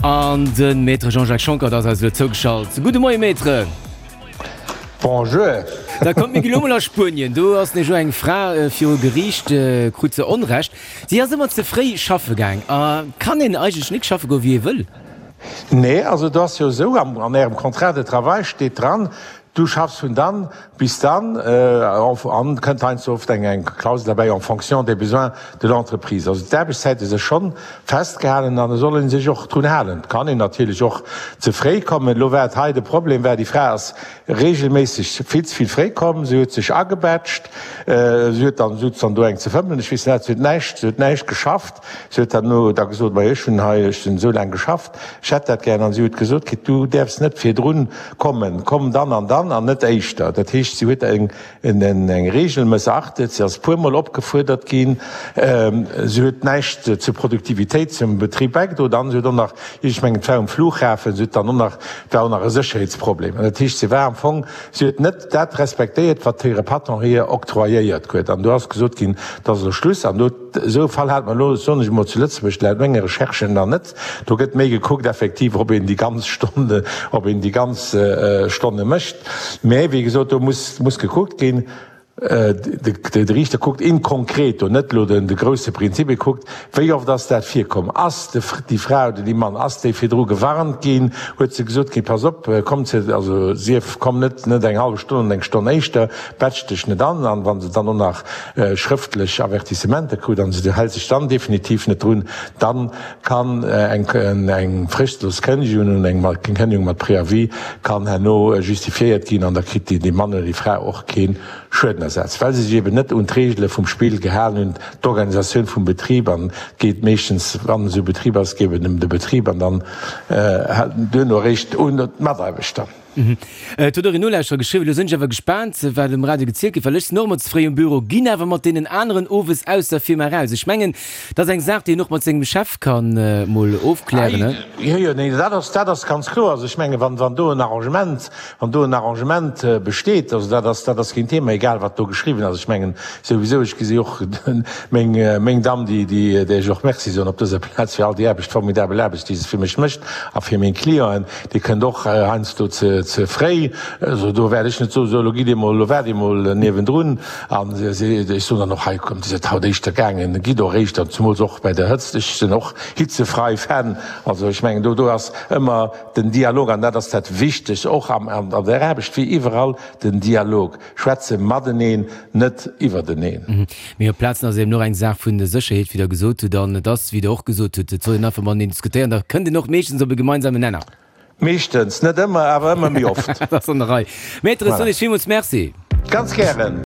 An de Maître Jean-Jacques Schonckert ass eis elo zougeschalt. Gudde Moie Maître. Bonjour. Da kommt mir gi lo mol a Spuenien. Do ass nämlech elo eng Fra viru Geriicht, krut se Onrecht. Si ass ëmmer ze fréi schaffe gaang. A kann een eigentlech nik schaffe goe wéi ee wëll? Nee, also do ass jo esou, an Ärem Contrat de travail steet dran, du schaffs vun dann bis dann, an kënnt heiansdo oft eng Klausel derbäi, en fonction des besoins de l'entreprise. Also d'Aarbechtszäite si schonn festgehalen an et soll ee sech och drun halen. Et kann een natierlech och ze fréi kommen. Elo war et hei de Problem war, déi Fra ass reegelméisseg vill ze vill fréi komm, si huet sech agebätscht, si huet dann, sutz dann do eng ze fëmmelen, ech weess net wat, si huet näischt, si huet näischt geschafft. Si huet herno da gesot, Majo, ech hunn hei, ech hunn esou laang geschafft, ech hätt dat gären. An si huet gesot kritt, Du däerfs net virdrun kommen, komm dann an dann an net éischter. Dat heescht, si huet eng Reegel mëssachtet, si ass e puermol opgefuerdert ginn, si huet näischt zur Produktivitéit zum Betrib bäigedroen an si huet och nach, ech mengen, et war um Flughafen, si huet dann och nach, et war och nach e Sécherheetsproblem. An dat heescht, si war am Fong, si huet net dat respektéiert, wat hire Patron hir octroyéiert huet. An do ass gesot ginn, et ass elo Schluss. An do. Esou e Fall hat mer elo, soen ech emol, zu Lëtzebuerg laut menge Recherchen nach net. Do gëtt méi gekuckt effektiv, ob een déi ganz Stonne, ob een déi ganz Stonne mécht. Mä wéi gesot, do muss, muss gekuckt ginn. De Riichter kuckt in concreto, net elo de grousse Prinzip, e kuckt, wéi oft ass dat virkomm? Ass déi Fra oder dee Mann, ass déi virdru gewarnt ginn? Huet se gesot kritt, pass op, komm ze, also sief, komm net, net eng hallef Stonn oder eng Stonn éischter, batsch dech net an. An wa se dann och nach schrëftlech Avertissementer krut an se hält sech dann definitiv net drun, dann kann eng fristlos Kënnegung und eng Kënnegung mat Préavis kann herno justifiéiert ginn an da kritt dee Mann oder déi Fra och kee Schuedenersatz, well se sech eben net un d'Regele vum Spill gehalen hunn, d'Organisatioun vum Betrib. An et geet meeschtens, wann esou e Betrib ass, geet et ëm de Betrib an dann duerno eréischt un d'Mataarbechter. Et huet och een Nolauschterer geschriwwen, Elo sinn ech awer gespaant, wat um Radio gezielt gëtt, well ech sinn och ëmmer ze fréi um Büro, ginn awer mat deenen aneren owes aus der Firma eraus. Ech mengen, dat ass eng Saach, déi een och mat sengem Chef ka mol ofklären, ne? Jo, jo, nee, dat ass, dat ass ganz kloer. Also ech mengen, wann, wann do en Arrangement, wann do en Arrangement besteet, also dat ass, dat ass keen Thema, egal wat do geschriwwen ass. Ech mengen souwisou, ech gesi och meng, meng Damm, déi, déi, där ech och Merci soen op dëser Plaz fir all déi Aarbecht, formidabel Aarbecht, déi se fir mech mécht a fir meng Clienten, Dir kënnt och heiansdo ze fréi, also do wäert ech net soen, sou elo gitt Dir mol, elo waart Dir mol niewendrun. An ech soen dann och, hei kommt, Dir sidd haut éischter gaangen, gitt och éischter, zemools och bei der Hëtzt. Ech sinn och hitzefrei Fan. Also ech mengen, do ass ëmmer den Dialog an dat ass dat Wichtegst, och an der Aarbecht wéi iwwerall, den Dialog. Schwätze mateneen, net iwwerteneen. Mee op Plazen ass et eben och eng Saach vun der Sécherheet, wéi Der gesot hutt. An et ass, wéi Der och gesot hutt, et soll een einfach mateneen diskutéieren, da kënnt een och meeschtens op e gemeinsamen Nenner. Meeschtens, net ëmmer, awer ëmmer méi oft. Dat ass an der Rei. Maître, ech soen Iech villmools Merci. Ganz gären.